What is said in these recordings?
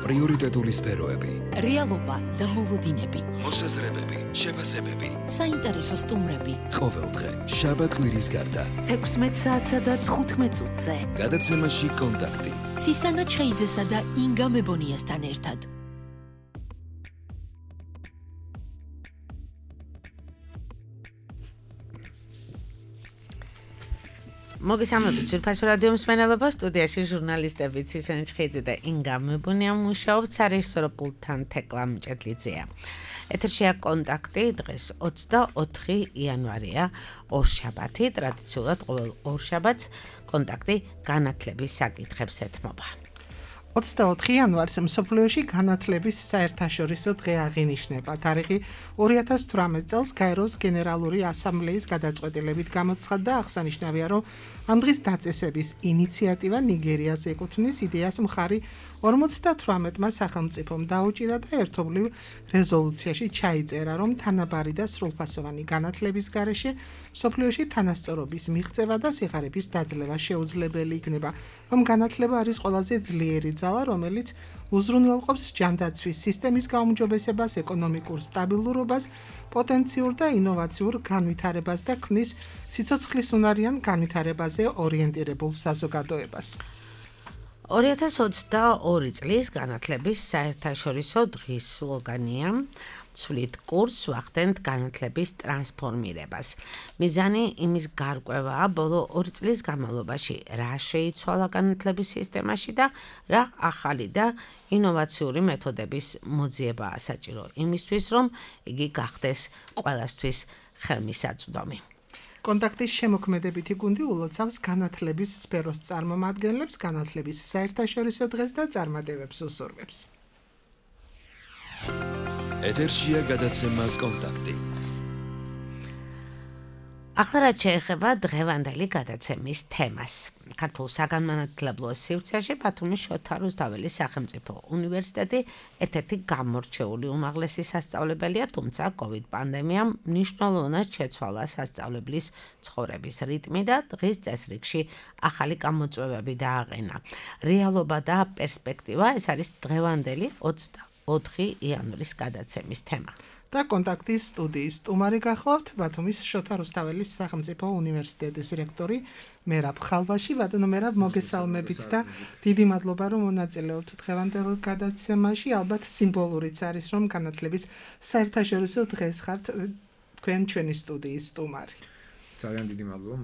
პრიორიტეტული სფეროები, რეალობა და მოლოდინები, მოსაზრებები, შეფასებები, საინტერესო სტუმრები. ყოველდღე, შაბათ-კვირის გარდა, 16 საათსა და 15 წუთზე. გადაცემაში კონტაქტი. ცისანა ჩხეიძესა და ინგა მებონიასთან ერთად. მოგესალმებით ძვირფასო რადიო მსმენელობა, სტუდიაში ჟურნალისტები ცისანა ჩხეიძე და ინგა მებონია მუშაობთ, სარეჟისორო პულტთან თეკლა მჭედლიძეა. ეთერშია კონტაქტი, დღეს 24 იანვარია, ორშაბათი, ტრადიციულად ყოველ ორშაბათს კონტაქტი განათლების საკითხებს ეთმობა. 24 იანვარს მსოფლიოში განათლების საერთაშორისო დღე აღინიშნება. თარიღი 2018 წელს გაეროს გენერალური ასამბლეის გადაწყვეტილებით გამოცხადდა. აღსანიშნავია, რომ ამ დღის დაწესების ინიციატივა ნიგერიას ეკუთვნის. იდეას მხარი 58-მა სახელმწიფომ დაუჭირა და ერთობლივ რეზოლუციაში ჩაიწერა, რომ თანაბარი და სრულფასოვანი განათლების გარეშე მსოფლიოში თანასწორობის მიღწევა და სიღარიბის დაძლევა შეუძლებელი იქნება, რომ განათლება არის ყველაზე ძლიერი ძალა, რომელიც უზრუნველყოფს ჯანდაცვის სისტემის გაუმჯობესებას, ეკონომიკურ სტაბილურობას, პოტენციურ და ინოვაციურ განვითარებას და ქმნის სიცოცხლისუნარიან განვითარებაზე ორიენტირებულ საზოგადოებას. 2022 წლის განათლების საერთაშორისო დღის სლოგანია "ცვლით კურსს, ვახდენთ განათლების ტრანსფორმირებას". მიზანი იმის გარკვევაა, ბოლო 2 წლის განმავლობაში რა შეიცვალა განათლების სისტემაში და რა ახალი და ინოვაციური მეთოდების მოძიებაა საჭირო იმისთვის, რომ იგი გახდეს ყველასთვის ხელმისაწვდომი. კონტაქტის შემოქმედებითი გუნდი ულოცავს განათლების სფეროს წარმომადგენლებს, განათლების საერთაშორისო დღეს და წარმატებებს უსურვებს. ეთერშია გადაცემა კონტაქტი. ახლა რაც შეეხება დღევანდელი გადაცემის თემას. ქართულ საგანმანათლებლო სივრცეში ბათუმის შოთა რუსთაველის სახელმწიფო უნივერსიტეტი ერთ-ერთი გამორჩეული უმაღლესი სასწავლებელია, თუმცა COVID პანდემიამ მნიშვნელოვნად შეცვალა სასწავლებლის ცხოვრების რიტმი და დღის წესრიგში ახალი გამოწვევები დააყენა. რეალობა და პერსპექტივა ეს არის დღევანდელი 24 იანვრის გადაცემის თემა. და კონტაქტის სტუდიის სტუმარი გახლავთ ბათუმის შოთა რუსთაველის სახელმწიფო უნივერსიტეტის რექტორი მერაბ ხალვაში. ბატონო მერაბ, მოგესალმებით და დიდი მადლობა, რომ მონაწილეობთ დღევანდელ გადაცემაში. ალბათ სიმბოლურიც არის, რომ განათლების საერთაშორისო დღეს ხართ თქვენ ჩვენი სტუდიის სტუმარი. ძალიან დიდი მადლობა,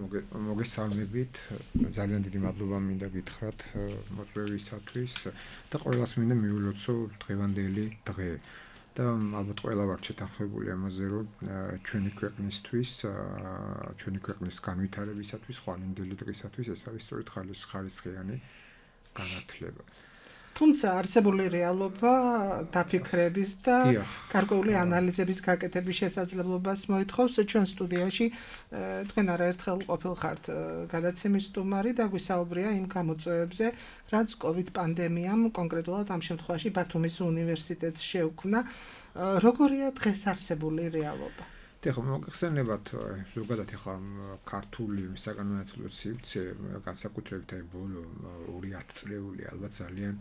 მოგესალმებით. ძალიან დიდი მადლობა მინდა გითხრათ მოწვევისათვის და ყველას მინდა მივილოცო დღევანდელი დღე. და ალბათ ყველა ვართ შეთანხმებული ამაზე, რომ ჩვენი ქვეყნისთვის, ჩვენი ქვეყნის განვითარებისათვის, ხვალინდელი დღისათვის ეს არის სწორედ ხალისხიანი განათლება. თუმცა არსებული რეალობა დაფიქრების და გარკვეული ანალიზების გაკეთების შესაძლებლობას მოითხოვს. ჩვენ სტუდიაში თქვენ არაერთხელ ყოფილ ხართ გადაცემის სტუმარი და გვისაუბრია იმ გამოწვევებზე, რაც COVID პანდემიამ კონკრეტულად ამ შემთხვევაში ბათუმის უნივერსიტეტს შეუქმნა. როგორია დღეს არსებული რეალობა? ეხლა მოგეხსენებათ ზოგადად ეხლა ქართული საგანმანათლებლო სივრცე განსაკუთრებით ბოლო 2 წლეული ალბათ ძალიან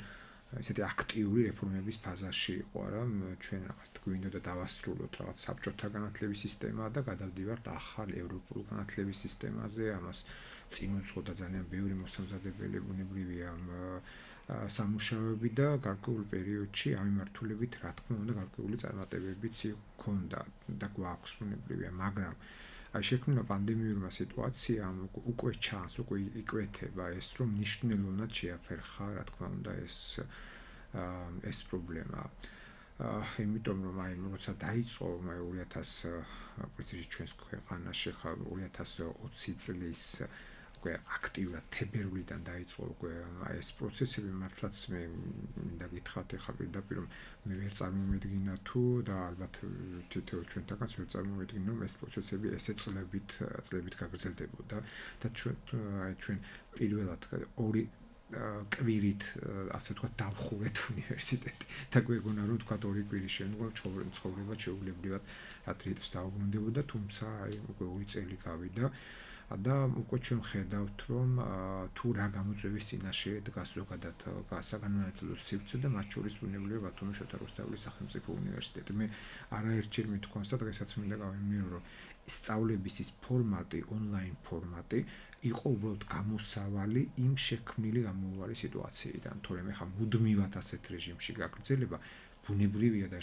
ესეთი აქტიური რეფორმების ფაზაში იყო, რომ ჩვენ რაღაც გვინდოდა დავასრულოთ რაღაც საბჭოთა განათლების სისტემა და გადავდივართ ახალ ევროპულ განათლების სისტემაზე. ამას წინ უძღოდა ძალიან ბევრი მოსამზადებელი ბუნებრივია სამუშაოები და გარკვეულ პერიოდში ამ მიმართულებით რა თქმა უნდა გარკვეული წარმატებებიც ჰქონდა და გვაქვს ბუნებრივია, მაგრამ აი შექმნა პანდემიურმა სიტუაციამ უკვე ჩანს, უკვე იკვეთება ეს, რომ მნიშვნელოვნად შეაფერხა, რა თქმა უნდა, ეს პრობლემა. იმიტომ რომ აი როცა დაიწყო 2000 პრინციპში ჩვენს ქვეყანაში ხა 2020 წლის უკვე აქტიურად თებერვლიდან დაიწყო უკვე ეს პროცესები, მართლაც მე მინდა გითხრათ ეხლა პირდაპირ რომ მე ვერ წარმოვედგინა თუ და ალბათ თითოეულ ჩვენთანაც ვერ წარმოვედგინა რომ ეს პროცესები ესე წლებით გაგრძელდებოდა და ჩვენ პირველად 2 კვირით ასე ვთქვათ დავხურეთ უნივერსიტეტი და გვეგონა რომ ვთქვათ 2 კვირის შემდგომ ცხოვრება შეუულებრივად ათრიეთს დაუბრუნდებოდა, თუმცა აი უკვე 2 წელი გავიდა და უკვე ჩვენ ხედავთ რომ თუ რა გამოწვევის წინაშე დგას ზოგადად საგანმანათლებლო სივრცე და მათ შორის ბუნებრივია ბათუმის შოთა რუსთაველის სახელმწიფო უნივერსიტეტი. მე არაერთჯერ მithქვამს და დღესაც მინდა გავიმეორო რომ სწავლების ის ფორმატი, ონლაინ ფორმატი იყო უბრალოდ გამოსავალი იმ შექმნილი გამოუვარი სიტუაციიდან. თორემ ხა მუდმივად ასეთ რეჟიმში გაგრძელება ბუნებრივია და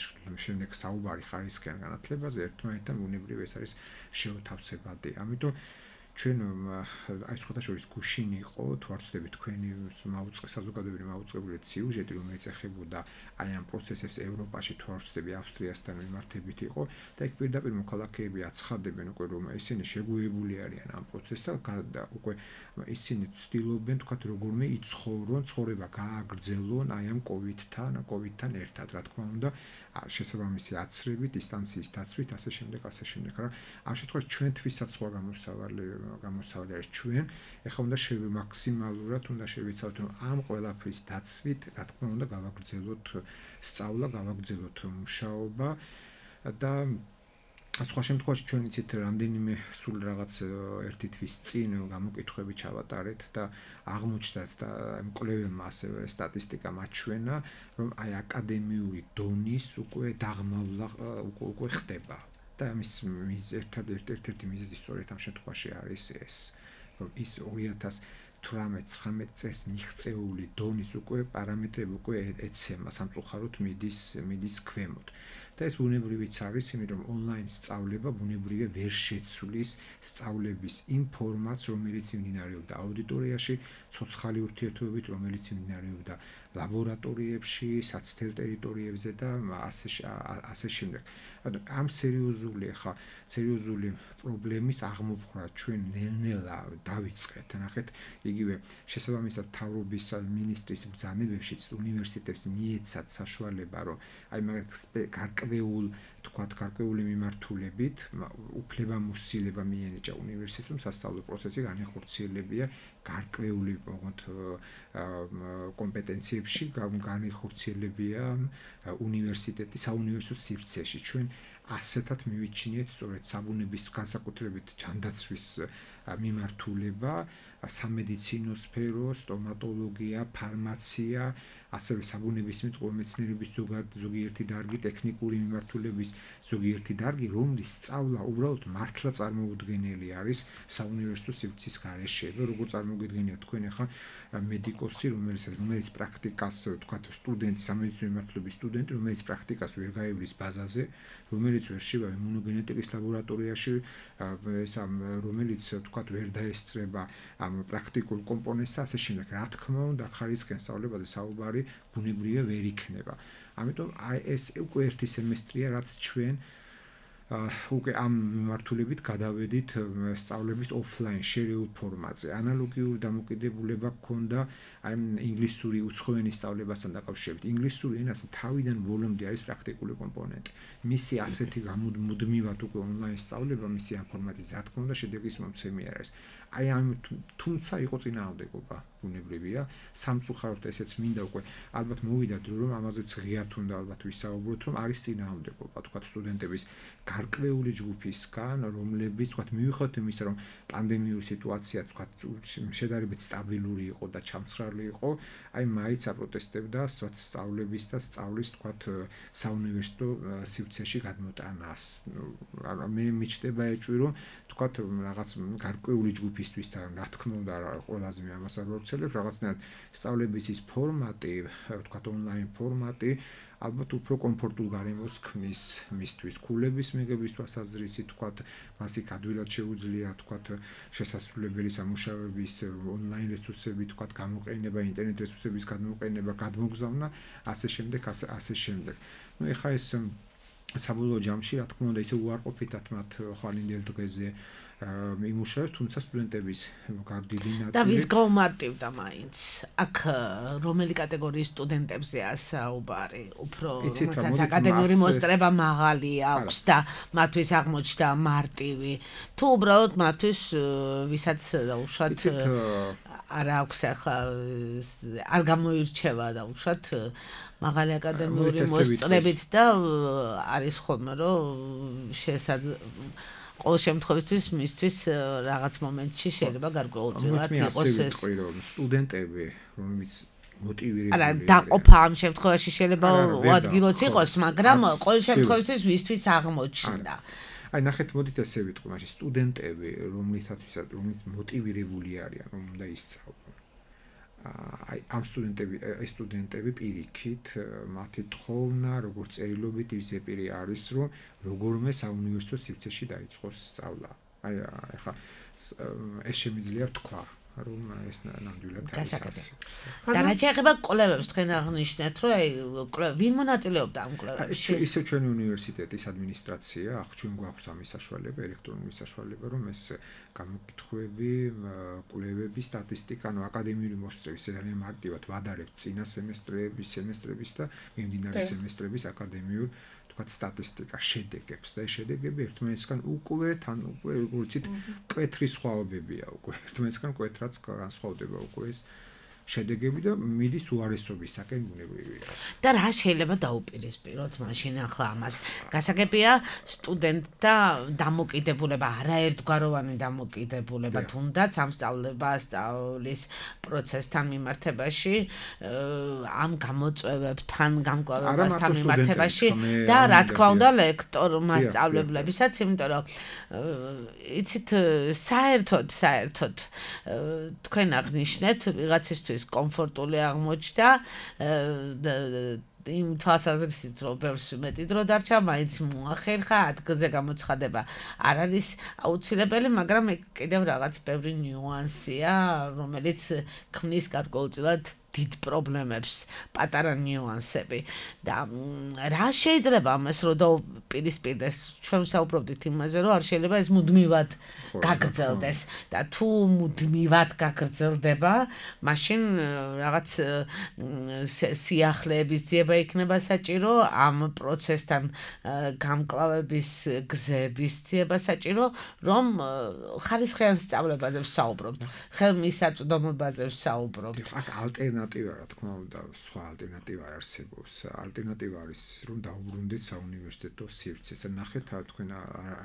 შემდეგ საუბარი ხარისხიან განათლებაზე ერთმანეთთან ბუნებრივია ეს არის შეუთავსებადი. ამიტომ ჩვენ აი სხვადასხვა გუშინ იყო თუ არ ვცდები თქვენი საზოგადოებრივი მაუწყებლური სიუჟეტი რომელიც ეხებოდა აი ამ პროცესებს ევროპაში თუ არ ვცდები ავსტრიასთან მიმართებით იყო და იქ პირდაპირ მოქალაქეები აცხადებენ უკვე რომ ისინი შეგუებული არიან ამ პროცესთან და უკვე ისინი ცდილობენ თქვათ როგორმე იცხოვრონ ცხოვრება გააგრძელონ აი ამ კოვიდთან ერთად რა თქმა უნდა შესაბამისი აცრებით, დისტანციის დაცვით, ასე შემდეგ. რა ამ შემთხვევაში ჩვენთვისაც სხვა გამოსავალი არის ჩვენ. ეხლა უნდა მაქსიმალურად უნდა შევიცავთ რომ ამ ყველაფრის დაცვით, რა თქმა უნდა, გავაგრძელოთ სწავლა, გავაგრძელოთ მუშაობა და სხვა შემთხვევაში ჩვენ იცით რამდენიმე სულ რაღაც ერთი თვის წინ გამოკითხვები ჩავატარეთ და აღმოჩნდათ და მკვლევარებმა ასევე სტატისტიკა მაჩვენა რომ აი აკადემიური დონის უკვე დაღმავლა უკვე ხდება და ამის ერთ-ერთი მიზეზი სწორედ ამ შემთხვევაში არის ეს რომ ის 2018-19 წელს მიღწეული დონის უკვე პარამეტრები უკვე ეცემა სამწუხაროდ მიდის ქვემოთ. და ეს ბუნებრივიც არის, იმიტომ რომ ონლაინ სწავლება ბუნებრივია ვერ შეცვლის სწავლების იმ ფორმატს, რომელიც მიმდინარეობდა აუდიტორიაში, ცოცხალი ურთიერთობებით, რომელიც მიმდინარეობდა ლაბორატორიებში, საცდელ ტერიტორიებზე და ასე შემდეგ. ამ სერიოზული პრობლემის აღმოფხვრა ჩვენ ნელ-ნელა დავიწყეთ. ნახეთ, იგივე შესაბამისად თავრობის მინისტრის ბრძანებებშიც უნივერსიტეტებს მიეცათ საშუალება, რომ აი მაგ გარკვეული მიმართულებით უფლებამოსილება მიენიჭა უნივერსიტეტს, რომ სასწავლო პროცესი განეხორციელებია გარკვეული კომპეტენციებში, განეხორციელებია უნივერსიტეტის საუნივერსიტეტო სივრცეში. ჩვენ ასეთად მივიჩინეთ სწორედ საბუნების განსაკუთრებით ჯანდაცვის მიმართულება, სამედიცინო სფერო, სტომატოლოგია, ფარმაცია, ასევე საბუნებისმეტყველო მეცნიერების ზოგიერთი დარგი, ტექნიკური მიმართულების ზოგიერთი დარგი, რომლის სწავლა უბრალოდ მართლა წარმოუდგენელი არის საუნივერსიტეტო სივრცის გარეშე. როგორ წარმოგიდგენიათ თქვენ ახლა მედიკოსი, რომელიც პრაქტიკას, თქვათ, სტუდენტი, სამედიცინო მიმართულების სტუდენტი, რომელიც პრაქტიკას ვერ გაივლის ბაზაზე, რომელიც ვერ შევა იმუნოგენეტიკის ლაბორატორიაში, რომელიც, თქვათ, ვერ დაესწრება ამ პრაქტიკულ კომპონენტს, ასე შემდეგ. რა თქმა უნდა, ხარისხიან სწავლებაზე საუბარი ბუნებრივია ვერ იქნება. ამიტომ აი ეს უკვე ერთი სემესტრია, რაც ჩვენ უკვე ამ მიმართულებით გადავედით სწავლების ოფლაინ შერეულ ფორმატზე. ანალოგიური დამოკიდებულება გქონდა აი ინგლისური უცხო ენის სწავლებასთან დაკავშირებით. ინგლისური ენას თავიდან ბოლომდე არის პრაქტიკული კომპონენტი. მისი ასეთი მუდმივად უკვე ონლაინ სწავლება, მისი ამ ფორმატით, რა თქმა უნდა, შედეგის მომცემი არის. აი ამ თუმცა იყო წინააღმდეგობა ბუნებრივია. სამწუხაროდ ესეც მინდა უკვე ალბათ მოვიდა დრო რომ ამაზეც ღიათ უნდა ალბათ ვისაუბროთ, რომ არის წინააღმდეგობა, თქვათ სტუდენტების გარკვეული ჯგუფისგან, რომლებიც თქვათ მივიხოთ იმისა, რომ პანდემიური სიტუაცია თქვათ შედარებით სტაბილური იყო და ჩამცხრალი იყო, აი მაინც აპროტესტებდა სწავლების და სწავლის თქვათ საუნივერსიტეტო სივრცეში გადმოტანას. მე მიჩნდება ეჭვი, რომ თქვათ რაღაც გარკვეული ჯგუფისთვის და რა თქმა უნდა ყველაზე მე ამას არ ვავრცელებ, რაღაცნაირად სწავლების ის ფორმატი, თქვათ ონლაინ ფორმატი ალბათ უფრო კომფორტულ გარემოს ქმნის მისთვის. ქულების მიღების თვალსაზრისით, თქვათ, მას იქ ადვილად შეუძლია, თქვათ, შესაძლებელი სამუშაოების ონლაინ რესურსები, თქვათ, გამოყენება, ინტერნეტ რესურსების გამოყენება, გადმოგზავნა, ასე შემდეგ. ნუ ეხა ეს საბოლოო ჯამში, რა თქმა უნდა, ისე უარყოფითად მათ ხვალინდელ დღეზე იმუშავებს, თუმცა სტუდენტების დიდი ნაწილი და ვის გაუმარტივდა მაინც? აქ რომელი კატეგორიის სტუდენტებზეა საუბარი? უფრო რომელსაც აკადემიური მოსწრება მაღალი აქვს და მათთვის აღმოჩნდა მარტივი, თუ უბრალოდ მათთვის ვისაც უშუალოდ არ აქვს ახლა არ გამოირჩევა და უშუალოდ მაღალი აკადემიური მოსწრებით და არის ხოლმე რომ ყოველ შემთხვევაში მისთვის რაღაც მომენტში შეიძლება გარკვეულწილად იყოს ეს სტუდენტები, რომლებიც მოტივირებული. არა, დაყოფა ამ შემთხვევაში შეიძლება უადგილოც იყოს, მაგრამ ყოველ შემთხვევაში ვისთვის აღმოჩნდა. აი ნახეთ, მოდით ესე ვიტყვი, მაშინ სტუდენტები, რომლითაც მოტივირებული არიან, რომ უნდა ისწავლონ. აი ამ სტუდენტები პირიქით, მათი თხოვნა, როგორც წერილობით ისე პირი არის, რომ როგორმე საუნივერსიტეტო სივრცეში დაიწყოს სწავლა. აი ახლა ეს შემიძლია თქვა, რომ ეს ნამდვილად არის. და რა შეეხება კვლევებს, თქვენ აღნიშნეთ, რომ აი ვინ მონაწილეობდა ამ კვლევებში? ისე ჩვენი უნივერსიტეტის ადმინისტრაცია, ჩვენ გვაქვს ამის საშუალება, ელექტრონული საშუალება, რომ ეს გამოკითხვები, კვლევები, სტატისტიკა, ანუ აკადემიური მოსწრების ძალიან მარტივად ვადარებთ წინა სემესტრების და მიმდინარე სემესტრების აკადემიურ თქვათ სტატისტიკა შედეგებს და ეს შედეგები ერთმანეთისგან უკვე როგორც მკვეთრი სხვაობებია უკვე ერთმანეთისგან მკვეთრად განსხვავდება უკვე ეს შედეგები და მიდის უარესობისაკენ ბუნებრივია. და რა შეიძლება დაუპირისპიროთ მაშინ ახლა ამას? გასაგებია სტუდენტთა დამოკიდებულება, არაერთგვაროვანი დამოკიდებულება, თუნდაც ამ სწავლის პროცესთან მიმართებაში, ამ გამოწვევებთან, გამკლავებასთან მიმართებაში და რა თქმა უნდა ლექტორ მასწავლებლებისაც, იმიტომ რომ იცით საერთოდ თქვენ აღნიშნეთ ვიღაცისთვის კომფორტული აღმოჩნდა იმ თვალსაზრისით რომ ბევრს მეტი დრო დარჩა, მაინც მოახერხა ადგილზე გამოცხადება. არ არის აუცილებელი, მაგრამ კიდევ რაღაც ბევრი ნიუანსია, რომელიც ქმნის გარკვეულწილად დიდ პრობლემებს, პატარა ნიუანსები. და რა შეიძლება ამას რომ დაუპირისპირდეს? ჩვენ საუბრობდით იმაზე, რომ არ შეიძლება ეს მუდმივად გაგრძელდეს და თუ მუდმივად გაგრძელდება, მაშინ რაღაც სიახლეების ძიება იქნება საჭირო, ამ პროცესთან გამკლავების გზების ძიება საჭირო, რომ ხარისხიან სწავლებაზე ვსაუბრობთ, ხელმისაწვდომობაზე ვსაუბრობთ. აქ ალტერნატივა, რა თქმა უნდა, სხვა ალტერნატივა არსებობს. ალტერნატივა არის, რომ დაუბრუნდეთ საუნივერსიტეტო სივრცეს. ნახეთ, თქვენ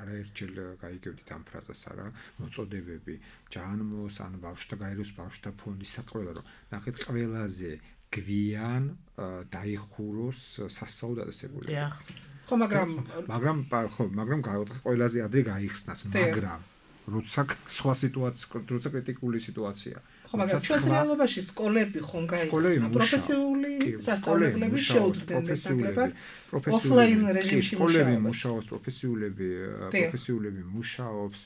არაერთჯერ გაიგებდით ამ ფრაზას, არა, მოწოდებები, ჯანმოს, ან ბავშვთა გაეროს ბავშვთა ფონდის საყრელა, რომ ნახეთ, ყველაზე გვიან დაიხუროს სასწავლო დაწესებულება. ხო, მაგრამ ყველაზე ადრე გაიხსნას, მაგრამ როცა სხვა სიტუაცია, როცა კრიტიკული სიტუაცია. ხო, მაგრამ ჩვენ რეალობაში სკოლები ხომ გაიხსნა, პროფესიული სასწავლებლები შეუძლიათ ნაკლებად ოფლაინ რეჟიმში მუშაობს, პროფესიულები მუშაობს.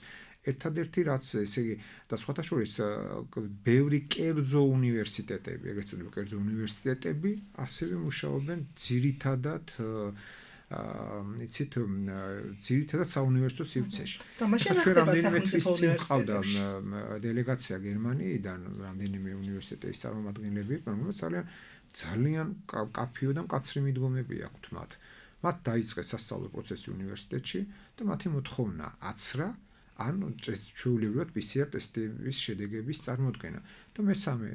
ერთადერთი რაც ესე იგი და სხვათა შორის ბევრი კერძო უნივერსიტეტები, ეგრეთ წოდებული კერძო უნივერსიტეტები ასევე მუშაობენ ძირითადად ძირითადად საუნივერსიტეტო სივრცეში. ჩვენ რამდენიმე თვის წინ ყავდა დელეგაცია გერმანიიდან, რამდენიმე უნივერსიტეტის წარმომადგენლები, რომელსაც ძალიან კაფეო და მკაცრი მიდგომები აქვთ მათ. მათ დაიწყეს სასწავლო პროცესი უნივერსიტეტში და მათი მოთხოვნა აცრა ან ჩვეულებრივად PCR ტესტების შედეგების წარმოდგენა. და მესამე,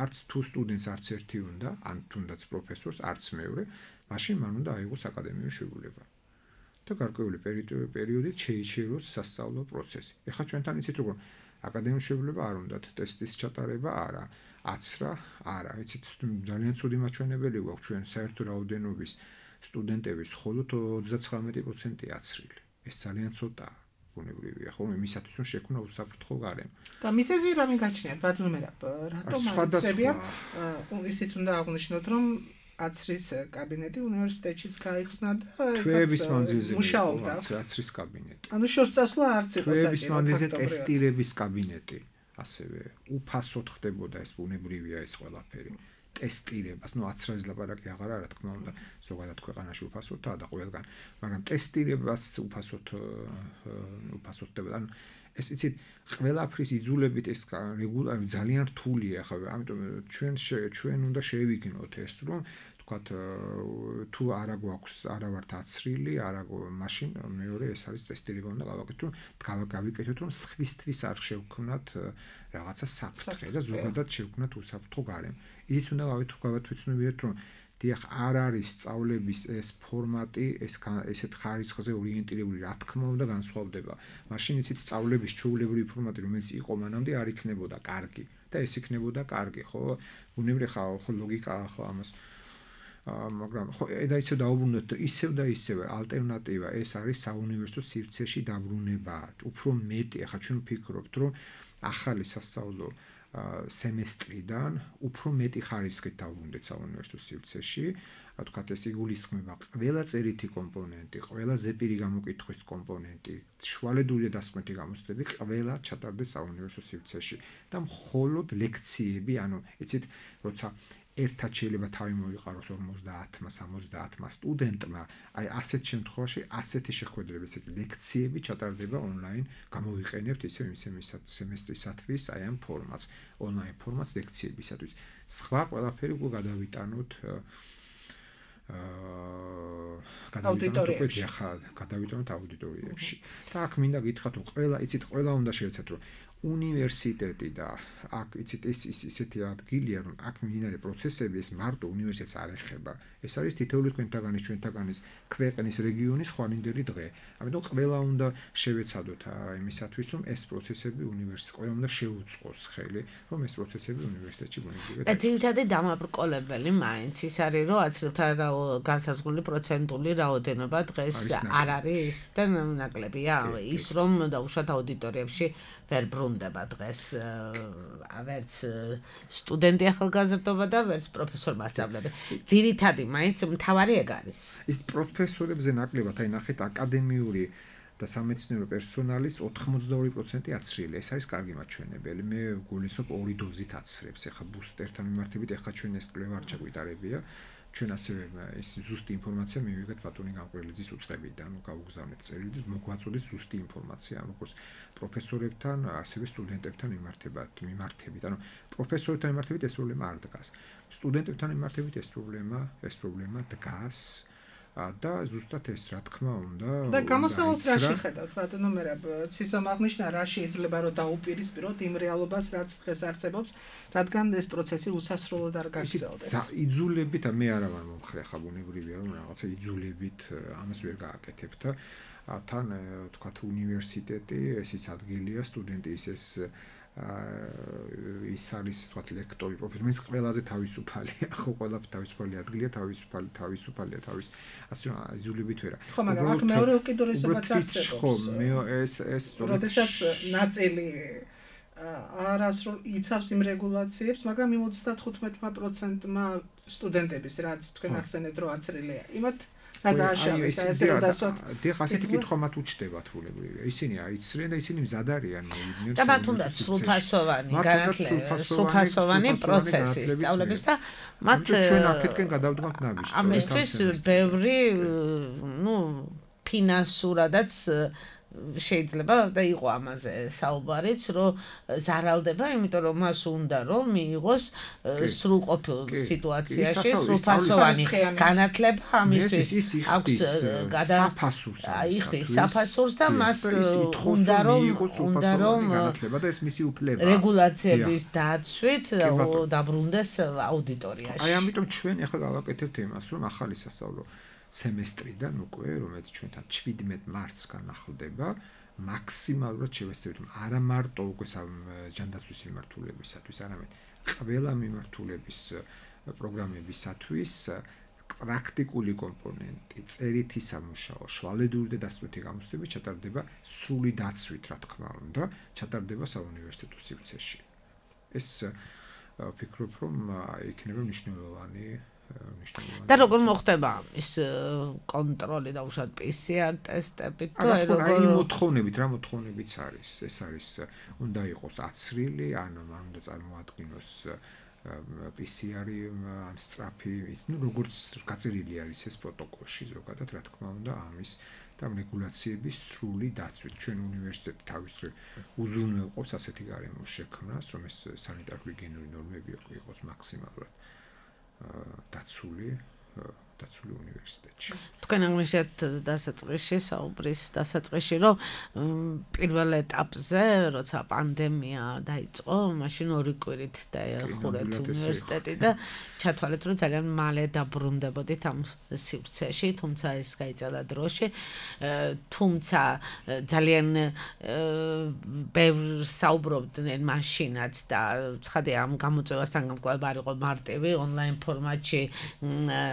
არც თუ სტუდენტს არც ერთი უნდა, ან თუნდაც პროფესორს, არც მეორე, მაშინ მან უნდა აიღოს აკადემიური შეუძლება. და გარკვეული პერიოდით შეიჩეროს სასწავლო პროცესი. ეხლა ჩვენთან იცით როგორ აკადემიური შეუძლება არ უნდათ, ტესტის ჩატარება არა, აცრა არა. იცით ძალიან ცუდი მაჩვენებელი გვაქვს ჩვენ საერთო რაოდენობის სტუდენტების მხოლოდ 39% აცრილი. ეს ძალიან ცოტაა. ბუნებრივია, ხო, იმისათვის რომ შექმნა უსაფრთხო გარემო. და მიზეზი რამე გაჩნიათ, ბატონმერაბ, რატომ არიცებიან? ისიც უნდა აღვნიშნოთ, რომ აცრის კაბინეტი უნივერსიტეტშიც გაიხსნა და თვეების მანძილზე მუშაობდა აცრის კაბინეტი. ანუ შორს წასვლა არც იყო საჭირო. თვეების მანძილზე ტესტირების კაბინეტი, ასევე უფასოდ ხდებოდა ეს ბუნებრივია ეს ყველაფერი. ტესტირებას, ну აცრაის ლაპარაკი აღარა, რა თქმა უნდა, ზოგადად ქვეყანაში უფასოდაა და ყველგან, მაგრამ ტესტირებას უფასოდ ხდებოდა. ანუ ეს იცით, ყველაფრის იძულებით ეს რეგულარი ძალიან რთულია, ხო, ამიტომ ჩვენ უნდა შევიგნოთ ეს, რომ თქვათ თუ არა გვაქვს, არა ვართ აცრილი, არა მაშინ მეორე ეს არის ტესტირება უნდა გავაკეთოთ, გავიკეთოთ, რომ სხვისთვის არ შევქმნათ რაღაცა საფრთხე და ზოგადად შევქმნათ უსაფრთხო გარემო. ის უნდა გავათვალისწინებთ, რომ დიახ, არ არის სწავლების ეს ფორმატი, ესეთ ხარისხზე ორიენტირებული, რა თქმა უნდა, განსხვავდება. მაშინ იცით, სწავლების ჩვეულებრივი ფორმატი, რომელიც იყო მანამდე, არ იქნებოდა კარგი და ეს იქნებოდა კარგი, ხო? ბუნებრივი ხო ლოგიკაა ხო ამას. მაგრამ ხო და ისევ დაუბრუნდეთ, ისევ და ისევ ალტერნატივა ეს არის საუნივერსიტეტო სივრცეში დაბრუნება. უფრო მეტი, ახლა ჩვენ ვფიქრობთ, რომ ახალი სასწავლო სემესტრიდან უფრო მეტი ხარისხით დავუბრუნდეთ საუნივერსიტეტო სივრცეში, ვთქვათ, ეს იგულისხმება ყველა წერითი კომპონენტი, ყველა ზეპირი გამოკითხვის კომპონენტი, შუალედური და დასკვნითი გამოცდები ყველა ჩატარდეს საუნივერსიტეტო სივრცეში და მხოლოდ ლექციები, ანუ იცით, როცა ერთად შეიძლება თავი მოიყაროს 50-მა, 70-მა სტუდენტმა, აი ასეთ შემთხვევაში ასეთი შეხვედრები, ესეთი ლექციები ჩატარდება ონლაინ, გამოვიყენებთ ისე სემესტრისათვის აი ამ ფორმას, ონლაინ ფორმას ლექციებისათვის. სხვა ყველაფერი უკვე გადავიტანოთ აუდიტორიებში. და აქ მინდა გითხრათ, რომ ყველა უნდა შევეცადოთ, რომ უნივერსიტეტი და აქ იცით ეს ისეთი ადგილია, რომ აქ მიმდინარე პროცესები ეს მარტო უნივერსიტეტს არ ეხება. ეს არის თითოეული თქვენთაგანის, ჩვენთაგანის ქვეყნის რეგიონის ხვალინდელი დღე. ამიტომ ყველა უნდა შევეცადოთ იმისათვის, რომ ეს პროცესები უნივერსიტეტში ყველა უნდა შეუწყოს ხელი, რომ ეს პროცესები უნივერსიტეტში მონიტორინგად. და ძირითადად დამაბრკოლებელი მაინც ის არის, რომ აცილთა განსაზღვრული პროცენტული რაოდენობა დღეს არ არის და ნაკლებია ის, რომ დაუშვათ აუდიტორიებში ვერ ბრუნდება დღეს ვერც სტუდენტი ახალგაზრდობა და ვერც პროფესორ მასწავლებელი. ძირითადი მაინც მთავარი ეგ არის. ის პროფესორებზე ნაკლებად, აი ნახეთ აკადემიური და სამეცნიერო პერსონალის 82% აცრიელი. ეს არის კარგი მაჩვენებელი. მე გულისხმობ 2 დოზით აცრებს. ეხლა ბუსტერთან მიმართებით, ეხლა ჩვენ ეს კვლევა არ ჩაგვიტარებია. ჩვენ ასევე ეს ზუსტი ინფორმაცია მივიღეთ ბატონი გამყრელიძის უწყებიდან, გავუგზავნეთ წერილით, მოგვაწოდეს ზუსტი ინფორმაცია, როგორც პროფესორებთან, ასევე სტუდენტებთან მიმართებით. ანუ პროფესორებთან მიმართებით ეს პრობლემა არ დგას. სტუდენტებთან მიმართებით ეს პრობლემა დგას. და ზუსტად ეს რა თქმა უნდა და გამოსავალს რა შეხედავთ ბატონო მერაბ ცისომ აღნიშნა რა შეიძლება რომ დაუპირისპიროთ იმ რეალობას რაც დღეს არსებობს რადგან ეს პროცესი უსასრულოდ არ გაგრძელდეს იძულებით მე არა ვარ მომხრე ხა ბუნებრივია რომ რაღაცა იძულებით ამას ვერ გააკეთებთ თან თქვათ უნივერსიტეტი ესიც ადგილია სტუდენტის ეს ის არის თქვათ ლექტორი პროფესორის ყველაზე თავისუფალია ხო ყველა თავისუფალი ადგილია თავისუფალია ასე რომ იძულებით ვერა ხო მაგრამ აქ მეორე უკიდურესობაც არსებობს ხო მე ეს როდესაც ნაწილი არასრულ იცავს იმ რეგულაციებს მაგრამ იმ 35%-მა სტუდენტების რაც თქვენ ახსენეთ რომ აცრილია იმათ გადააშავეს ესე რომ დასვათ დიახ ასეთი კითხვა მათ უჩნდებათ ბუნებრივია ისინი აიცრიან და ისინი მზად არიან მოვიდნენ და მათ უნდა სრულფასოვანი განათლება სრულფასოვანი პროცესი სწავლების და მათ ჩვენ აქეთკენ გადავდგამთ ნაბიჯს ამისთვის ბევრი ფინანსურადაც შეიძლება და იყო ამაზე საუბარიც რომ ზარალდება იმიტომ რომ მას უნდა რომ მიიღოს სრულყოფილ სიტუაციაში სრულფასოვანი განათლება ამისთვის აქვს საფასურს და მას უნდა რომ განათლება და ეს მისი უფლება რეგულაციების დაცვით დაბრუნდეს აუდიტორიაში აი ამიტომ ჩვენ ახლა გავაკეთებთ იმას რომ ახალი სასწავლო სემესტრიდან უკვე რომელიც ჩვენთან 17 მარტს განახლდება მაქსიმალურად შევეცდებით არა მარტო უკვე ჯანდაცვის მიმართულებისათვის არამედ ყველა მიმართულების პროგრამებისათვის პრაქტიკული კომპონენტი წერითი სამუშაო შვალედური და დასკვნითი გამოცდები ჩატარდება სრული დაცვით რა თქმა უნდა ჩატარდება საუნივერსიტეტო სივრცეში ეს ვფიქრობ რომ იქნება მნიშვნელოვანი და როგორ მოხდება ის კონტროლი და უშუალოდ PCR ტესტებით თუ როგორ მოთხოვნებით რა მოთხოვნებიც არის ეს არის უნდა იყოს აცრილი ან უნდა წარმოადგინოს PCR-ი ან სწრაფი როგორც გაწერილი არის ეს პროტოკოლში ზოგადად რა თქმა უნდა ამის და რეგულაციების სრული დაცვით ჩვენ უნივერსიტეტი თავისუფლად უზრუნველყოფს ასეთი გარემოს შექმნას რომ ეს სანიტარ-ჰიგიენური ნორმები იყოს მაქსიმალურად დაცული დაცული უნივერსიტეტში. თქვენ აღნიშნეთ დასაწყისში, საუბრის დასაწყისში, რომ პირველ ეტაპზე, როცა პანდემია დაიწყო, მაშინ 2 კვირით დაიხურეთ უნივერსიტეტი და ჩათვალეთ, რომ ძალიან მალე დაბრუნდებოდით ამ სივრცეში, თუმცა ეს გაიწელა დროში, თუმცა ძალიან ბევრ საუბრობდნენ მაშინაც და ცხადია ამ გამოწვევასთან გამკლავება არ იყო მარტივი ონლაინ ფორმატში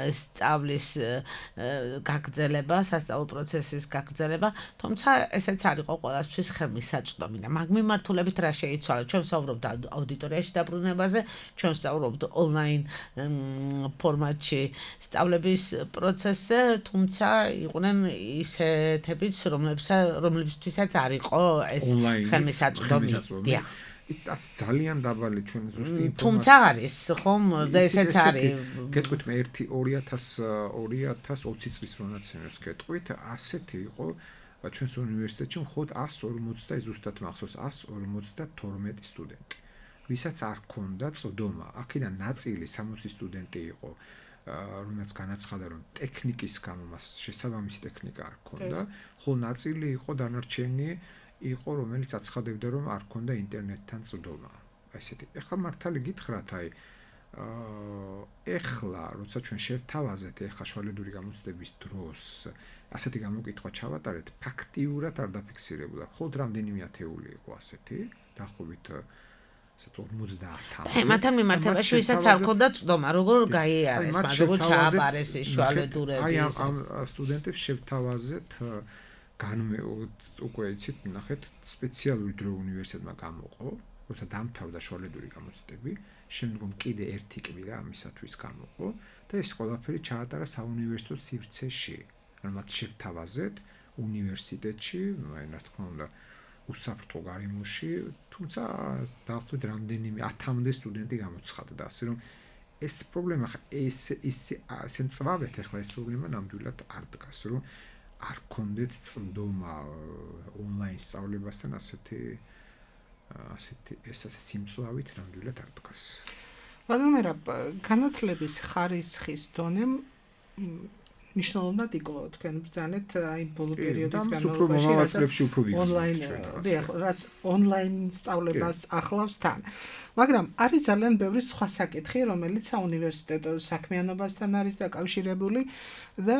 სწავლის გაგრძელება, სასწავლო პროცესის გაგრძელება, თუმცა ესეც არ იყო ყველასთვის ხელმისაწვდომი და მაგ მიმართულებით რა შეიცვალა? ჩვენ ვსაუბრობთ აუდიტორიაში დაბრუნებაზე, ჩვენ ვსაუბრობთ ონლაინ ფორმატში სწავლების პროცესზე, თუმცა იყვნენ ისეთებიც, რომლებისთვისაც არ იყო ეს ხელმისაწვდომი. ის ძალიან დაბალი ჩვენ ზუსტი ინფორმაცია. თუმცა არის, ხომ? და ესეც არის. გეტყვით მე 2020 წლის მონაცემებს გეტყვით, ასეთი იყო ჩვენს უნივერსიტეტში მხოლოდ 150 ზუსტად მახსოვს 152 სტუდენტი. ვისაც არ ჰქონდა წვდომა. აქედან ნაწილი 60 სტუდენტი იყო, რომელსაც განაცხადა, რომ ტექნიკის გამო მას შესაბამისი ტექნიკა არ ჰქონდა, ხოლო ნაწილი იყო დანარჩენი იყო, რომელიც აცხადებდა, რომ არ ჰქონდა ინტერნეტთან წვდომა. აი ესეთი. ეხლა მართალი გითხრათ, აი ეხლა, როცა ჩვენ შევთავაზეთ ეხლა შუალედური გამოცდების დროს, ასეთი გამოკითხვა ჩავატარეთ, ფაქტიურად არ დაფიქსირებულა. მხოლოდ რამდენიმე ათეული იყო ასეთი, დაახლოებით 50. მათთან მიმართებაში ვისაც არ ჰქონდა წვდომა, როგორ გაიარეს, როგორ ჩააბარეს ის შუალედურები. აი ამ სტუდენტებს შევთავაზეთ უკვე იცით, ნახეთ, სპეციალური დრო უნივერსიტეტმა გამოყო, როცა დამთავრდა შუალედური გამოცდები, შემდგომ კიდე ერთი კვირა ამისათვის გამოყო და ეს ყველაფერი ჩაატარა საუნივერსიტეტო სივრცეში. მათ შევთავაზეთ უნივერსიტეტში, აი რა თქმა უნდა, უსაფრთხო გარემოში, თუმცა დაახლოებით რამდენიმე 1000-მდე სტუდენტი გამოცხადდა, ასე რომ ეს პრობლემა ესე მწვავეთ ახლა ეს პრობლემა ნამდვილად არ დგას, რომ არ გქონდეთ წვდომა ონლაინ სწავლებასთან ასეთი სიმწვავით ნამდვილად არ დგას. ბატონო, განათლების ხარისხის დონემ მნიშვნელოვნად იკლო თქვენ ბრძანეთ აი ბოლო პერიოდის განმავლობაში ონლაინ რაც ონლაინ სწავლებას ახლავს თან. მაგრამ არის ძალიან ბევრი სხვა საკითხი, რომელიც საუნივერსიტეტო საქმიანობასთან არის დაკავშირებული და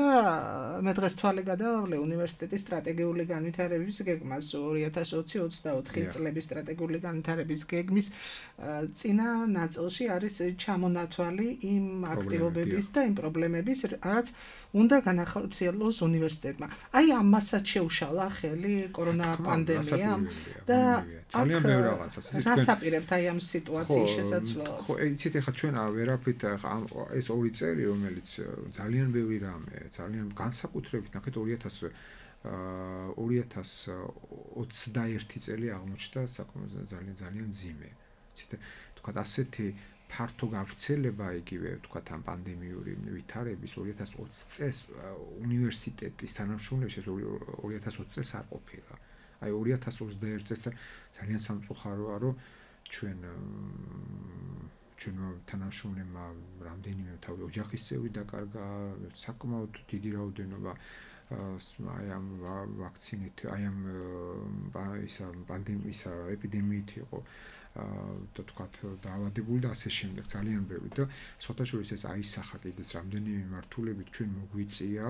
მე დღეს თვალე გადავავლე უნივერსიტეტის სტრატეგიული განვითარების გეგმას 2020-24 წლების სტრატეგიული განვითარების გეგმის წინა ნაწილში არის ჩამონათვალი იმ აქტივობების და იმ პრობლემების, რაც უნდა განახორციელოს უნივერსიტეტმა. აი ამასაც შეუშალა ხელი კორონა პანდემიამ და ძალიან ბევრი რაღაცა. რას აპირებთ აი ამ სიტუაციის შესაძლებლად? ხო, იცით ახლა ჩვენ ვერაფრით ეს 2 წელი, რომელიც ძალიან ბევრი რამე, ძალიან განსაკუთრებით ნახეთ 2021 წელი აღმოჩნდა ძალიან მძიმე. იცით, თქვათ ასეთი ფართო გავრცელება იგივე თქვათ ამ პანდემიური ვითარების 2020 წელს უნივერსიტეტის თანამშრომლებში 2020 წელს არ ყოფილა. აი 2021 წელს ძალიან სამწუხაროა, რომ ჩვენ თანამშრომლებმა რამდენიმე თავი ოჯახის წევრი დაკარგა, საკმაოდ დიდი რაოდენობა აი ამ ვაქცინით, აი ამ პანდემიის ეპიდემიით იყო და თქვათ დაავადებული და ასე შემდეგ ძალიან ბევრი და სხვათაშორის ეს აისახა კიდეც რამდენიმე მიმართულებით ჩვენ მოგვიწია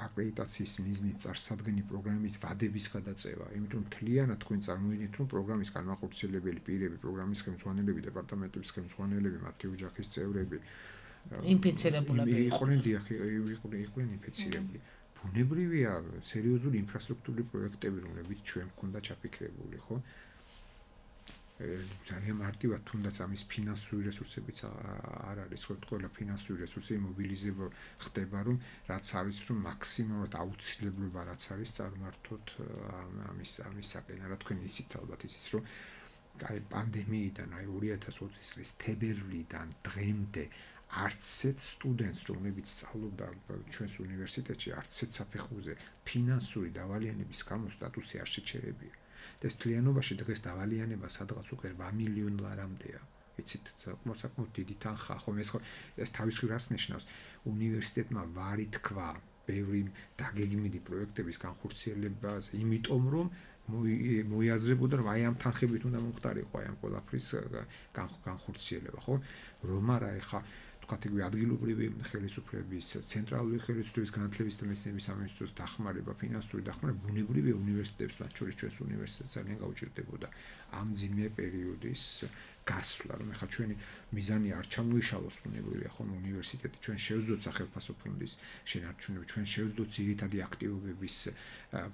აკრედიტაციის მიზნით წარსადგენი პროგრამის ვადების გადაწევა, იმიტომ რომ მთლიანად თქვენ წარმოიდგინეთ, რომ პროგრამის განმახორციელებელი პირები, პროგრამის ხელმძღვანელები, დეპარტამენტების ხელმძღვანელები, მათი ოჯახის წევრები ინფიცირებულები იყვნენ ინფიცირებული. ბუნებრივია სერიოზული ინფრასტრუქტურული პროექტები, რომლებიც ჩვენ გვქონდა ჩაფიქრებული, ხო? ძალიან მარტივად თუნდაც ამის ფინანსური რესურსებიც არ არის, ყველა ფინანსური რესურსი მობილიზება ხდება, რომ რაც არის, რომ მაქსიმალურად აუცილებლობა რაც არის წარმართოთ ამისაკენ. რა თქვენ იცით ალბათ ისიც, რომ აი პანდემიიდან, აი 2020 წლის თებერვლიდან დღემდე არც ერთ სტუდენტს, რომლებიც სწავლობდა ჩვენს უნივერსიტეტში, არც ერთ საფეხურზე ფინანსური დავალიანების გამო სტატუსი არ შეჩერებია. ეს თლიანობაში დღეს დავალიანება სადღაც უკვე 8 მილიონ ლარამდეა. იცით, საკმაოდ დიდი თანხა, ხომ ეს თავის რას ნიშნავს? უნივერსიტეტმა ვარი თქვა ბევრი დაგეგმილი პროექტების განხორციელებაზე, იმიტომ რომ მოიაზრებოდა რომ აი ამ თანხებით უნდა მომხდარიყო აი ამ ყველაფრის განხორციელება, ხო? რომ არა ეხა თქვათ იგივე ადგილობრივი ხელისუფლების, ცენტრალური ხელისუფლების განათლების და მეცნიერების სამინისტროს დახმარება, ფინანსური დახმარება ბუნებრივია უნივერსიტეტებს, მათ შორის ჩვენს უნივერსიტეტს ძალიან გაუჭირდებოდა ამ ძიმე პერიოდის გასვლა, რომ ეხა ჩვენი მიზანი არ ჩამოიშალოს ბუნებრივია, ხომ უნივერსიტეტი ჩვენ შევძლებთ სახელმწიფო ფონდის შენარჩუნება, ჩვენ შევძლებთ ძირითადი აქტივობების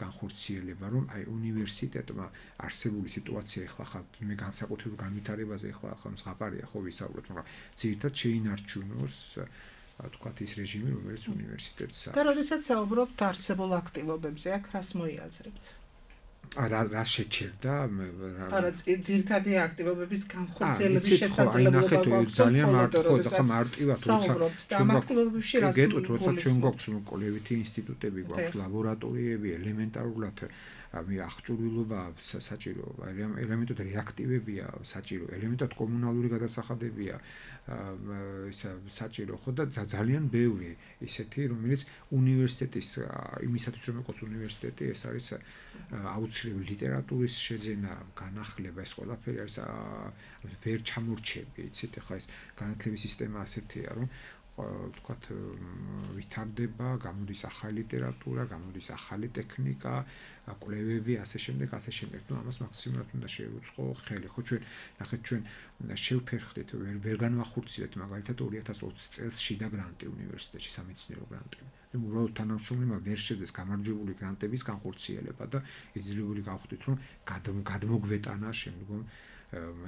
განხორციელება, რომ აი უნივერსიტეტმა არსებული სიტუაცია ეხლა ხა მე განსაკუთრებულ განვითარებაზე ეხლა ხომ ზღაპარია ხო ვისაუბროთ, მაგრამ ძირითადად შეინარჩუნოს თქვათ ის რეჟიმი, რომელიც უნივერსიტეტს აქვს. და როდესაც საუბრობთ არსებულ აქტივობებზე, აქ რას მოიაზრებთ? რა შეჩერდა? არა, ძირითადი აქტივობების განხორციელების შესაძლებლობა გვაქვს ძალიან მარტივად, როცა ამ აქტივობებში რას გეტყვით, როცა ჩვენ გვაქვს კოლევითი ინსტიტუტები, გვაქვს ლაბორატორიები, ელემენტარულად აღჭურვილობა საჭირო, ელემენტად რეაქტივებია საჭირო, ელემენტად კომუნალური გადასახადებია საჭირო, ხო და ძალიან ბევრი ისეთი, რომელიც უნივერსიტეტის იმისათვის რომ იყოს უნივერსიტეტი, ეს არის აუცილებელი ლიტერატურის შეძენა, განახლება, ეს ყველაფერი არის ვერ ჩამორჩები, იცით, ახლა ეს განათლების სისტემა ასეთია, რომ თქვათ ვითარდება, გამოდის ახალი ლიტერატურა, გამოდის ახალი ტექნიკა, კვლევები, ასე შემდეგ. ნუ ამას მაქსიმალურად უნდა შევუწყო ხელი. ხო ჩვენ ნახეთ ჩვენ შევფერხდით, ვერ განვახორციელებთ მაგალითად 2020 წელს შიდა გრანტი უნივერსიტეტში, სამეცნიერო გრანტი. უბრალოდ თანამშრომლებმა ვერ შეძლეს გამარჯვებული გრანტების განხორციელება და იძულებული გავხდით, რომ გადმოგვეტანა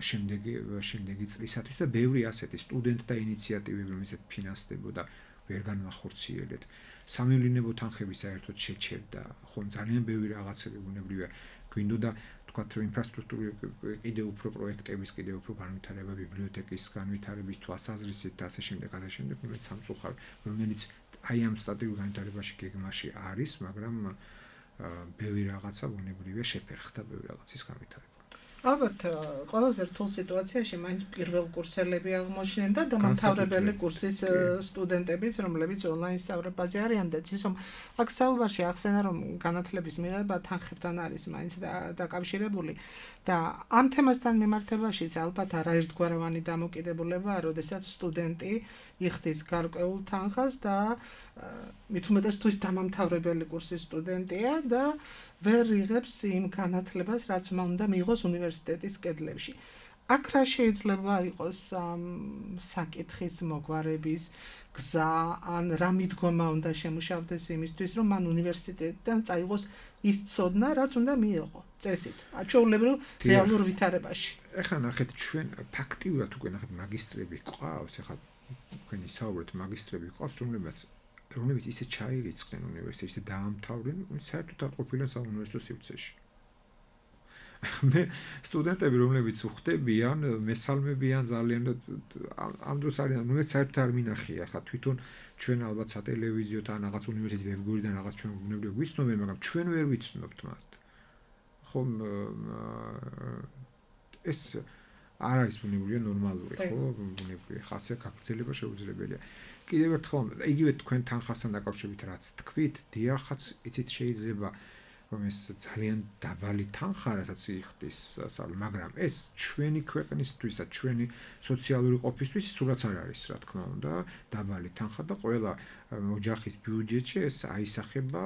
შემდეგი წლისათვის და ბევრი ასეთი სტუდენტთა ინიციატივები, რომელსაც ფინანსდებოდა, ვერ განვახორციელებთ. სამევლინებო თანხები საერთოდ შეჩერდა, ხომ ძალიან ბევრი რაღაცები ბუნებრივია. გვინდოდა თქვათ ინფრასტრუქტურის კიდევ უფრო პროექტების, კიდევ უფრო განვითარება, ბიბლიოთეკის განვითარების თვალსაზრისით და ასე შემდეგ, რომელიც სამწუხაროდ, რომელიც აი ამ სტატიურ განვითარებაში გეგმაში არის, მაგრამ ბევრი რაღაცა ბუნებრივია შეფერხდა ბევრი რაღაცის განვითარება. ალბათ ყველაზე რთულ სიტუაციაში მაინც პირველ კურსელები აღმოჩნდნენ და დამამთავრებელი კურსის სტუდენტებიც, რომლებიც ონლაინ სწავლებაზე არიან და ისე აქ საუბარში ახსენა რომ განათლების მიღება თანხებთან არის მაინც დაკავშირებული და ამ თემასთან მიმართებაშიც ალბათ არაერთგვაროვანი დამოკიდებულებაა, როდესაც სტუდენტი იხდის გარკვეულ თანხას და მით უმეტეს თუ ის დამამთავრებელი კურსის სტუდენტია და ვერ იღებს იმ განათლებას, რაც უნდა მიიღოს უნივერსიტეტის კედლებში. აქ რა შეიძლება იყოს საკითხის მოგვარების გზა, ან რა მიდგომა უნდა შემუშავდეს იმისთვის, რომ მან უნივერსიტეტიდან წაიღოს ის ცოდნა, რაც უნდა მიიღო წესით, ჩვეულებრივ რეალურ ვითარებაში. ეხლა ნახეთ, ჩვენ ფაქტიურად უკვე ნახეთ მაგისტრები ყავს, ეხლა თქვენი საუბრით მაგისტრები ყავს, რომლებიც ისე ჩაირიცხნენ უნივერსიტეტში და დაამთავრნენ, საერთოდ არ ყოფილან საუნივერსიტეტო სივრცეში. მე სტუდენტები, რომლებიც უხდებიან, მესალმებიან ძალიან ამ დროს არიან, რომელიც საერთოდ არ მინახია, ხა თვითონ ჩვენ ალბათ სატელევიზიო და რაღაც უნივერსიტეტის ვებგვერდიდან რაღაც ჩვენ ბუნებრივად ვიცნობენ, მაგრამ ჩვენ ვერ ვიცნობთ მას. ხომ ეს არ არის ბუნებრივია ნორმალური, ხო? ბუნებრივია ხასია გაგრძელება შეუძლებელია. კიდევ ერთხელ, იგივე თქვენ თანხასთან დაკავშირებით რაც თქვით, დიახაც, იცით შეიძლება რომ ეს ძალიან დაბალი თანხა, რასაც იხდის, მაგრამ ეს ჩვენი ქვეყნისთვის და ჩვენი სოციალური ყოფისთვის სულაც არ არის, რა თქმა უნდა, დაბალი თანხა და ყველა ოჯახის ბიუჯეტში ეს აისახება,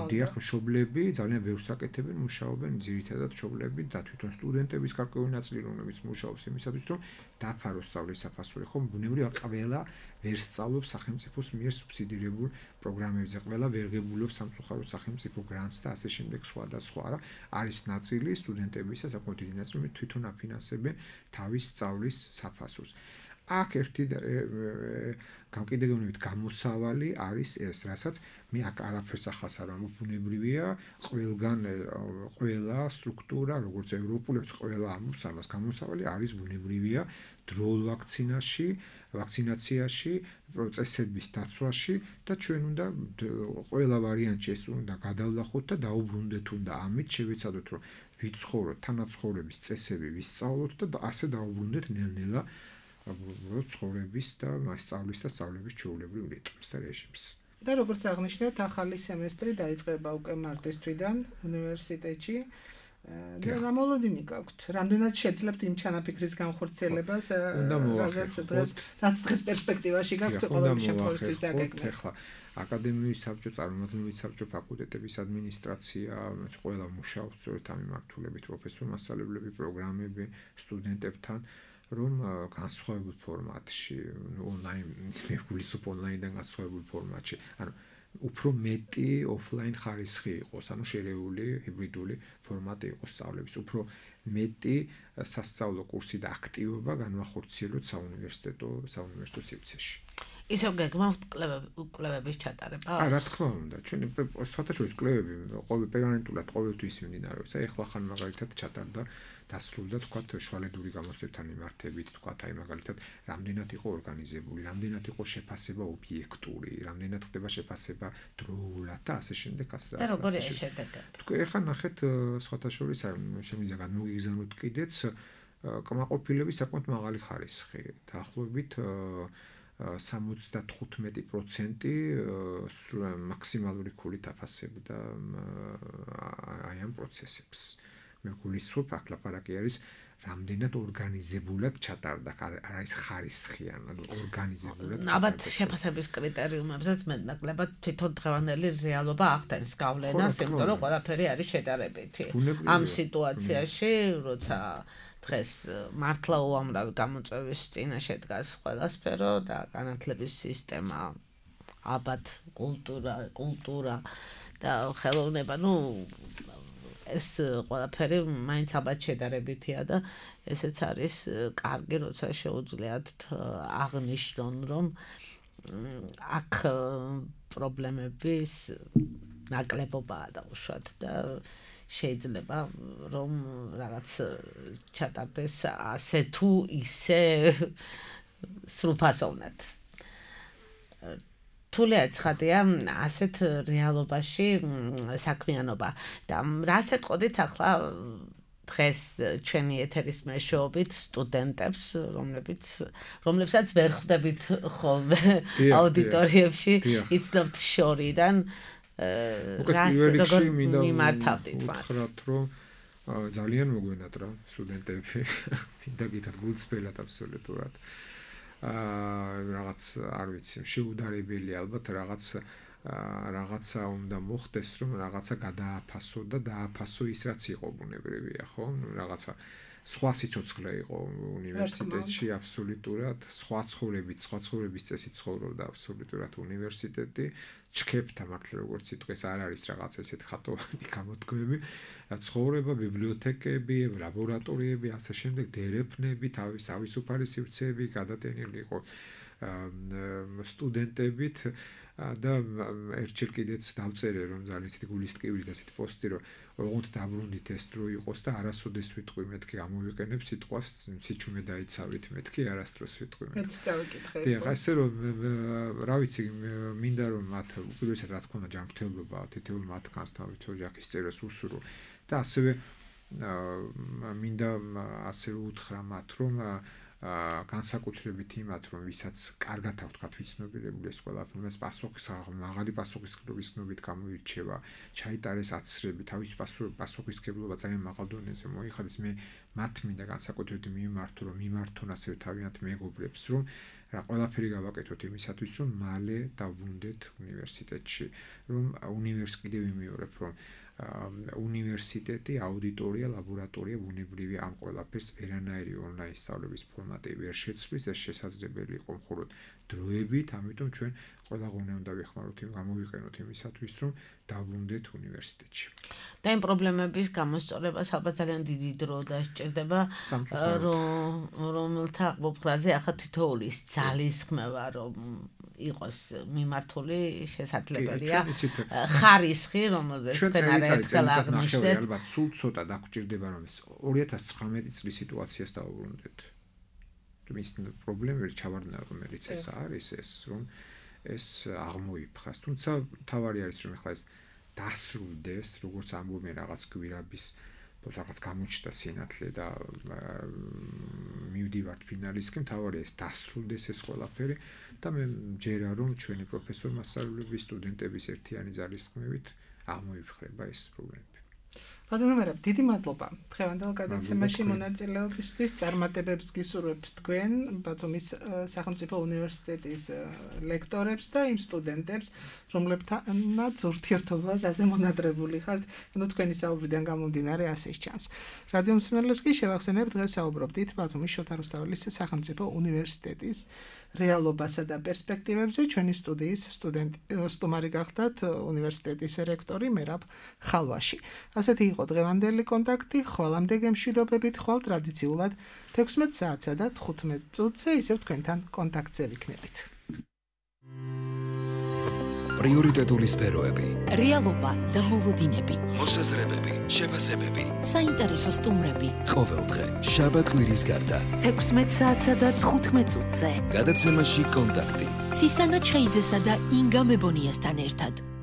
დიახ, მშობლები ძალიან ბევრს აკეთებენ, მუშაობენ, ძირითადად მშობლები და თვითონ სტუდენტების გარკვეული ნაწილი, რომლებიც მუშაობს იმისათვის, რომ დაფაროს სწავლის საფასური, ხომ ბუნებრივია ყველა ვერ სწავლობს სახელმწიფოს მიერ სუბსიდირებულ პროგრამებზე, ყველა ვერ ღებულობს სამწუხაროდ სახელმწიფო გრანტს და ასე შემდეგ სხვა და სხვა, რა არის ნაწილი სტუდენტებისა, საკმაოდ დიდი ნაწილი, რომლებიც თვითონ აფინანსებენ თავის სწავლის საფასურს. აქ ერთი გამკიდრებით გამოსავალი არის ეს, რასაც მე აქ არაფერს ახალს არ ამბობუნებრივია, ყველა სტრუქტურა, როგორც ევროპულებს, ყველა ამბობს ამას, გამოსავალი არის ბუნებრივია დროულ ვაქცინაციაში, პროცესების დაცვაში და ჩვენ უნდა ყველა ვარიანტში ეს უნდა გადავლახოთ და დაუბრუნდეთ უნდა ამით შევეცადოთ რომ ვიცხოვროთ, თანაცხოვრების წესები ვისწავლოთ და ასე დავუბრუნდეთ ნელ-ნელა ცხოვრების და მასწავლის და სწავლების ჩვეულებრივ რიტმს და რეჟიმს. და როგორც აღნიშნეთ, ახალი სემესტრი დაიწყება უკვე მარტის თვიდან უნივერსიტეტში. რა მოლოდინი გაქვთ? რამდენად შეძლებთ იმ ჩანაფიქრის განხორციელებას, რაც დღეს პერსპექტივაში გაქვთ ყოველი შემთხვევისთვის დაგეგმეთ? ახლა აკადემიური საბჭო, წარმომადგენელი საბჭო, ფაკულტეტების ადმინისტრაცია, ყველა მუშაობს სწორედ ამ მიმართულებით, პროფესორ-მასწავლებლები, პროგრამები, სტუდენტებთან, რომ განსხვავებულ ფორმატში, ონლაინ, მეგულისუფ ონლაინიდან განსხვავებულ ფორმატში, ანუ უფრო მეტი ოფლაინ ხარისხი იყოს, ანუ შერეული ჰიბრიდული ფორმატი იყოს სწავლების, უფრო მეტი სასწავლო კურსი და აქტივობა განვახორციელოთ საუნივერსიტეტო სივრცეში. ისევ გეგმავთ კვლევების ჩატარება? რა თქმა უნდა, ჩვენი საერთაშორისო კვლევები პერმანენტულად ყოველთვის მიმდინარეობს. ეხლა ხან მაგალითად ჩატარდა დასრულდა თქვათ შუალედური გამოსვლებთან მიმართებით, თქვათ აი მაგალითად რამდენად იყო ორგანიზებული, რამდენად იყო შეფასება ობიექტური, რამდენად ხდება შეფასება დროულად და ასე შემდეგ ასე. და როგორია შედეგები? თქვი ეხლა ნახეთ სხვათაშორის შემიძლია გამოგიგზავნოთ კიდეც კმაყოფილების საკმაოდ მაღალი ხარისხი, დაახლოებით 75% მაქსიმალური ქულით აფასებდა აი ამ პროცესებს. მე გულისხმობ, აქ ლაპარაკი არის რამდენად ორგანიზებულად ჩატარდა, არის ხარისხიან, ანუ ორგანიზებულად. ალბათ შეფასების კრიტერიუმებზეც მეტნაკლებად თვითონ დღევანდელი რეალობა ახდენის გავლენას, იმიტომ რომ ყველაფერი არის შედარებითი. ამ სიტუაციაში, როცა დღეს მართლა უამრავი გამოწვევის წინაშე დგას ყველა სფერო და განათლების სისტემა, ალბათ კულტურა და ხელოვნება, ეს ყველაფერი მაინც ალბათ შედარებითია და ესეც არის კარგი, როცა შეუძლიათ აღნიშნონ, რომ აქ პრობლემების ნაკლებობაა დაუშვათ და შეიძლება რომ რაღაც ჩატარდეს ასე თუ ისე სრულფასოვნად. თულია ცხადია ასეთ რეალობაში საქმიანობა და რას ეტყოდით ახლა დღეს ჩვენი ეთერის მეშვეობით სტუდენტებს, რომლებსაც ვერ ხვდებით ხოლმე აუდიტორიებში, იცნობთ შორიდან როგორ მიმართავდით მათ? ვთქვათ, რომ ძალიან მოგვენატრა სტუდენტები, მინდა გითხრათ გულწრფელად აბსოლუტურად. რაღაც არ ვიცი, შეუდარებელი ალბათ რაღაცა უნდა მოხდეს, რომ რაღაცა გადააფასო და დააფასო ის რაც იყო ბუნებრივია, ხო? რაღაცა სხვა სიცოცხლე იყო უნივერსიტეტში აბსოლუტურად, სხვა ცხოვრების წესით ცხოვრობდა აბსოლუტურად უნივერსიტეტი. ჩქეფთა მართლა როგორც სიტყვის არ არის რაღაც ესეთ ხატოვანი გამოთქმები, ცხოვრება, ბიბლიოთეკები, ლაბორატორიები, ასე შემდეგ, დერეფნები, თავისუფალი სივრცეები გადატენილი იყო სტუდენტებით და ერთჯერ კიდეც დავწერე რომ ძალიან ისეთი გულისტკივილი და ისეთი პოსტი რომ ოღონდ დაბრუნდით ეს დრო იყოს და არასოდეს ვიტყვი მეთქი გამოვიყენებ სიტყვას სიჩუმე დაიცავით მეთქი არასდროს ვიტყვი მეთქი. მეც წავიკითხე. დიახ, ასე რომ რა ვიცი, მინდა რომ მათ უპირველესად რა თქმა უნდა ჯანმრთელობა თითოეულ მათგანს თავით ოჯახის წევრებს უსურო და ასევე მინდა ასე უთხრა მათ რომ განსაკუთრებით იმათ რომ ვისაც კარგად აქვს თქვა ვიცნობიერებული ეს ყველაფერი მას მაღალი პასუხისმგებლობის ცნობით გამოირჩევა, ჩაიტარეს აცრები, თავის პასუხისმგებლობა ძალიან მაღალ დონეზე მოიხადეს, მე მათ მინდა განსაკუთრებით მიმართო რომ მიმართონ ასევე თავიანთ მეგობრებს რომ რა ყველაფერი გავაკეთოთ იმისათვის რომ მალე დავბრუნდეთ უნივერსიტეტში, რომ კიდევ ვიმეორებ რომ უნივერსიტეტი, აუდიტორია, ლაბორატორია, ბუნებრივი ამ ყველაფერს ვერანაირი ონლაინ სწავლების ფორმატი ვერ შეცვლის, ეს შესაძლებელი იყო მხოლოდ დროებით, ამიტომ ჩვენ ყველა ღონე უნდა ვეხმაროთ გამოვიყენოთ იმისათვის, რომ დავბრუნდეთ უნივერსიტეტში. და იმ პრობლემების გამოსწორებას ალბათ ძალიან დიდი დრო დასჭირდება, რომელთა მომხრაზე ახლა თითოეულის ძალისხმევა რომ იყოს მიმართული შესაძლებელია ხარისხი, რომელზეც თქვენ არაერთხელ აღნიშნეთ. ალბათ სულ ცოტა დაგვჭირდება რომ 2019 წლის სიტუაციას დავუბრუნდეთ. ის პრობლემები ჩავარდნა რომელიც ეს არის ეს რომ ეს აღმოიფხას. თუმცა თავარი არის რომ ახლა ეს დასრულდეს, როგორც ამბობენ რაღაც გვირაბის რაღაც გამოჩნდა სინათლე და მივდივართ ფინალისკენ, თავარია ეს დასრულდეს ეს ყველაფერი და მე მჯერა რომ ჩვენი პროფესორ მასწავლებლების სტუდენტების ერთიანი ძალისხმევით აღმოიფხრება ეს პრობლემები. ბატონო, დიდი მადლობა. დღევანდელ გადაცემაში მონაწილეობისთვის წარმატებებს გისურვებთ თქვენ, ბათუმის სახელმწიფო უნივერსიტეტის ლექტორებს და იმ სტუდენტებს, რომლებთანაც ურთიერთობაზე ასე მონადრებული ხართ, ანუ თქვენი საუბრიდან გამომდინარე ასე ჩანს. რადიო მსმენელებს კი შევახსენებ, დღეს საუბრობდით ბათუმის შოთა რუსთაველის სახელმწიფო უნივერსიტეტის რეალობასა და პერსპექტივებზე. ჩვენი სტუდიის სტუმარი გახდათ უნივერსიტეტის რექტორი მერაბ ხალვაში. ასეთი იყო დღევანდელი კონტაქტი, ხოლამდე გემშვიდობებით, ხვალ ტრადიციულად 16 საათსა და 15 წუთზე ისევ თქვენთან კონტაქტზე ვიქნებით. პრიორიტეტული სფეროები, რეალობა და მოლოდინები, მოსაზრებები, შეფასებები, საინტერესო სტუმრები. ყოველდღე შაბათ-კვირის გარდა 16 საათსა და 15 წუთზე. გადაცემაში კონტაქტი. ცისანა ჩხეიძესა და ინგა მებონიასთან ერთად.